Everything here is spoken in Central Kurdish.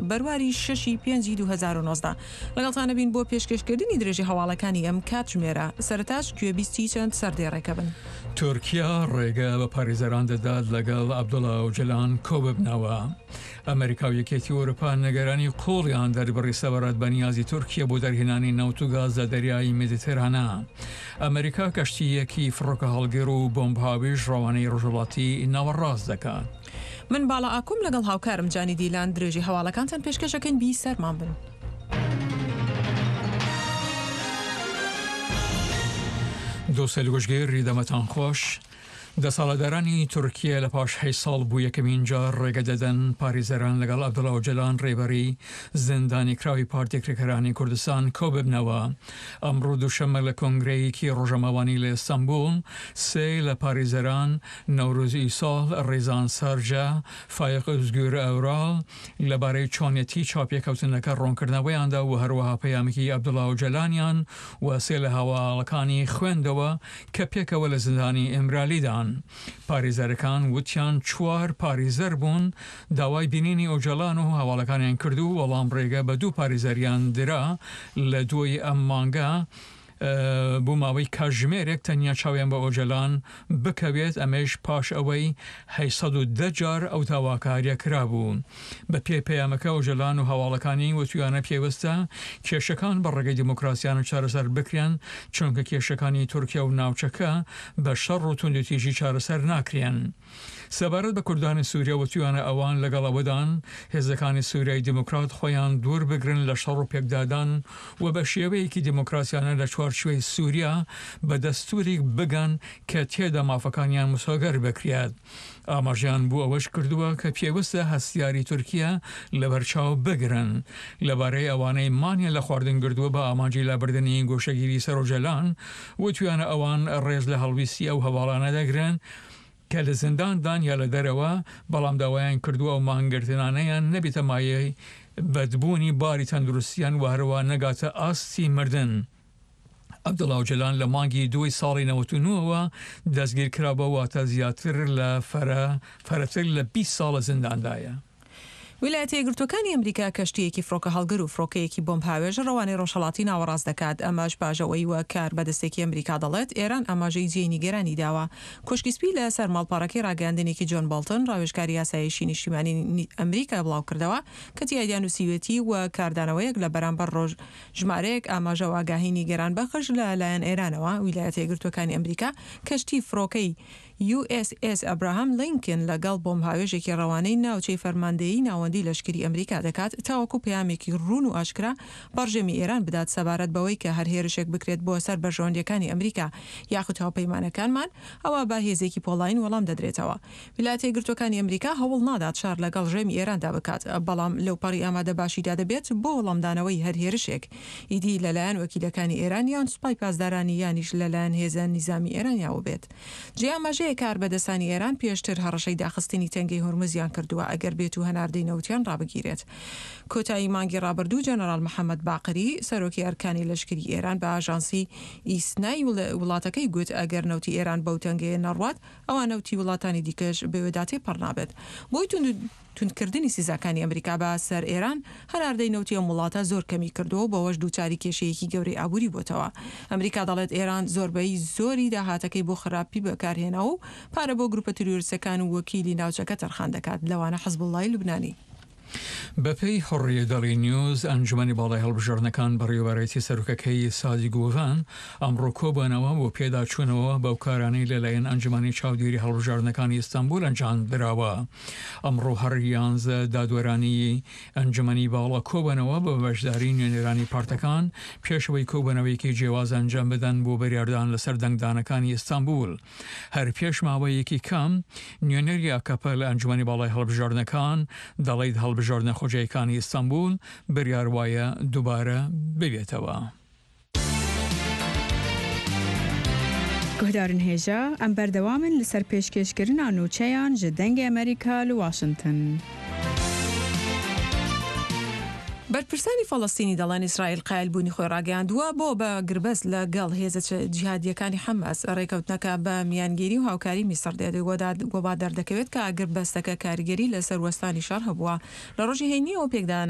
بەرواری شەشی پێنجی 2019 لەگەڵتان ئەبین بۆ پێشکێشکردنی درێژەی هەواڵەکانی ئەم کاتژمێرە، سەرەتاش گوێبیستی چەند سەردێڕێکە بن. تورکیا ڕێگە بە پارێزەران دەدات لەگەڵ عەبدوڵا ئۆجەلان کۆببنەوە. ئەمریکا و یەکێتی ئەوروپا نیگەرانی قووڵیان دەربڕی سەبارەت بە نیازی تورکیا بۆ دەرهێنانی نەوت و گاز لە دەریای مێدیتێرانە. ئەمریکا کەشتییەکی فڕۆکەهەڵگر و بۆمبهاوێژ ڕەوانەی ڕۆژهەڵاتی ناوەڕاست دەکات. من باڵا ئاکوم لەگەڵ هاوکارم جانی دیلان درێژەی هەواڵەکانتان پێشکەش ئەکەین بی سەرمان بن. دۆستەیل گوشگیر دەمەتان خۆش. دەسەڵاتدارانی تورکیە لە پاش هەشت ساڵ بۆ یەکەمین جار ڕێگە دەدەن پارێزەران لەگەڵ عەبدوڵا ئۆجەلان ڕێبەری زیندانیکراوی پارتی کرێکارانی کوردستان کۆببنەوە. ئەمڕۆ دووشەممە لە کۆنگرەیەکی ڕۆژەماوانی لە ئیستانبوڵ سێ لە پارێزەران نەورۆز ئیساڵ، ڕێزان سارجە، فایەق ئۆزگور ئەورال لەبارەی چۆنیەتی چاوپێکەوتنەکە ڕوونکردنەوەیان دا و هەروەها پەیامێکی عەبدوڵا ئۆجەلانیان و سێ لە هاوەڵەکانی خوێندەوە کە پێکەوە لە زیندانی ئیمرالیدان. پارێزەرەکان وتیان چوار پارێزەر بوون داوای بینینی ئۆجەلان و هاوەڵەکانیان کرد و وەڵام ڕێگە بە دوو پارێزەریان درا لە دووی ئەم مانگە بۆ ماوەی کاتژمێرێک تەنیا چاویان بە ئۆجەلان بکەوێت، ئەمەیش پاش ئەوەی 810 جار ئەو داواکارییە کرابوو. بە پێی پەیامەکە ئۆجەلان و هاواڵەکانی وتویانە پێوستە کێشەکان بە ڕێگەی دیموکراسیانە چارەسەر بکرێن، چونکە کێشەکانی تورکیا و ناوچەکە بە شەڕ و توندوتیژی چارەسەر ناکرێن. سەبارەت بە کوردانی سوریا وتویانە ئەوان لەگەڵ ئەوەدان هێزەکانی سوریای دیموکرات خۆیان دوور بگرن لە شەڕ و پێکدادان و بە شێوەیەکی دیموکراسیانە لە چوارچوێی سوریا بە دەستوریک بگەن کە تێدا مافەکانیان مسۆگەر بکرێت. ئاماژەیان بۆ ئەوەش کردووە کە پێوستە هەستیاری تورکیا لەبەرچاو بگرن لەبارەی ئەوانەی مانیان لە خواردن گرتووە بە ئامانجی لابردنی گۆشەگیری سەر ئۆجەلان وتویانە ئەوان ڕێز لە هەڵویستی ئەو هەواڵانە دەگرن کە لە زینداندان یا لە دەرەوە، بەڵام داوایان کردووە ئەو مانگرتنانەیان نەبێتە مایەی بەدبوونی باری تەندروستیان و هەروا نەگاتە ئاستی مردن. عەبدوڵا ئۆجەلان لە مانگی دووی ساڵی 99 ەوە دەستگیرکرابووە، واتە زیاتر لە فەرە فەرەتر لە 20 ساڵ لە زینداندایە. ویلایەتە یەکگرتووەکانی ئەمریکا کەشتییەکی فڕۆکەهەڵگر و فڕۆکەیەکی بۆمبهاوێژ ڕەوانەی ڕۆژهەڵاتی ناوەڕاست دەکات، ئەمەش پاش ئەوەی وەک کاربەدەستێکی ئەمریکا دەڵێت، ئێران ئاماژەی جێی نیگەرانی داوە. کۆشکی سپی لە سەر ماڵپەڕەکەی ڕاگەیاندنێکی جۆن بۆڵتن، ڕاوێژکاری ئاسایشی نیشتیمانی ئەمریکا بڵاوکردەوە کە تیایدا نووسیوێتی وەک کاردانەوەیەک لە بەرامبەر ڕۆژ ژمارەیەک ئاماژە و ئاگاهی نیگەرانبەخش لە لایەن ئێرانەوە، ویلایەتە یەکگرتووەکانی ئەمریکا کەشتی فڕۆکەی یو ئێس ئێس ئەبراهام لینکن لەگەڵ بۆمبهاوێژێکی ڕەوانەی ناوچەی فەرماندەیی ناوەندی لەشکری ئەمریکا دەکات تاوەکو پەیامێکی ڕوون و ئاشکرا بە ڕژێمی ئێران بدات سەبارەت بەوەی کە هەر هێرشێک بکرێت بۆ سەر بەرژەوەندییەکانی ئەمریکا یاخود هاوپەیمانەکانمان ئەوا بە هێزێکی پۆڵایین وەڵام دەدرێتەوە. ویلایەتە یەکگرتووەکانی ئەمریکا هەوڵ نادات شەڕ لەگەڵ ڕژێمی ئێراندا بکات بەڵام لەوپەڕی ئامادەباشیدا دەبێت بۆ وەڵامدانەوەی هەر هێرشێک ئیدی لەلایەن وەکیلەکانی ئێران یان سوپای پاسدارانی یانیش لەلایەن هێزە نیزامی ئێرانیاوە بێت. جێی ئاماژەیە کاربەدەستانی ئێران پێشتر هەڕەشەی داخستنی تەنگەی هورمزیان کردووە ئەگەر بێتو هەناردەی نەوتیان ڕابگیرێت. کۆتایی مانگی ڕابردوو جەنەراڵ محەمەد باقری، سەرۆکی ئەرکانی لەشکری ئێران بە ئاژانسی ئیسنای وڵاتەکەی گوت ئەگەر نەوتی ئێران بەو تەنگەیە نەڕوات ئەوا نەوتی وڵاتانی دیکەش بەوێدا تێپەڕ نابێت. بۆی توندکردنی سزاکانی ئەمریکا بە سەر ئێران، هەناردەی نەوتی ئەم وڵاتە زۆر کەمی کردووە و بەوەش دووچاری کێشەیەکی گەورەی ئابووری بۆتەوە. ئەمریکا دەڵێت ئێران زۆربەی زۆری داهاتەکەی بۆ خراپی بەکارهێناوە و پارە بۆ گروپە تیرۆریستەکان و وەکیلی ناوچەکە تەرخان دەکات، لەوانە حزبوڵڵای لوبنانی. بەپێی حوڕیە دەڵی نیوز، ئەنجومەنی باڵای هەڵبژاردنەکان بەڕێوەبەرایەتی سەرۆکەکەی سادی گوڤان ئەمڕۆ کۆبوونەوە بۆ پێداچوونەوە بەو کارانەی لەلایەن ئەنجومەنی چاودێری هەڵبژاردنەکانی ئیستانبول ئەنجامدراوە. ئەمڕۆ هەر یانزە دادوەرانی ئەنجومەنی باڵا کۆبوونەوە بە بەشداری نوێنەرانی پارتەکان پێش ئەوەی کۆبوونەوەیەکی جیاواز ئەنجام بدەن بۆ بریاردان لەسەر دەنگدانەکانی ئیستانبول. هەر پێش ماوەیەکی کەم نوێنەری ئاکەپە لە ئەنجومەنی باڵای هەڵبژاردنەکان دەڵیت هەڵبژاردنە خۆجێیەکانی ئیستانبول بریار وایە دووبارە ببێتەوە. Guhdarên hêja, em berdewam in li ser pêşkêşkirina nûçeyan ji Dengê Amerîka li Washington. بەرپرسانی فەڵەستینی دەڵێن ئیسرائیل قایلبوونی خۆی ڕاگەیاندووە بۆ بە گربەست لە گەڵ هێزە جیهادییەکانی حەماس. ڕێکەوتنەکە بە میانگیری و هاوکاری میسڕ دێت و وا دەردەکەوێت کە ئاگربەستەکە کاریگەری لەسەر وەستانی شەڕ هەبووە لە ڕۆژی هەینییەوە پێکدادان.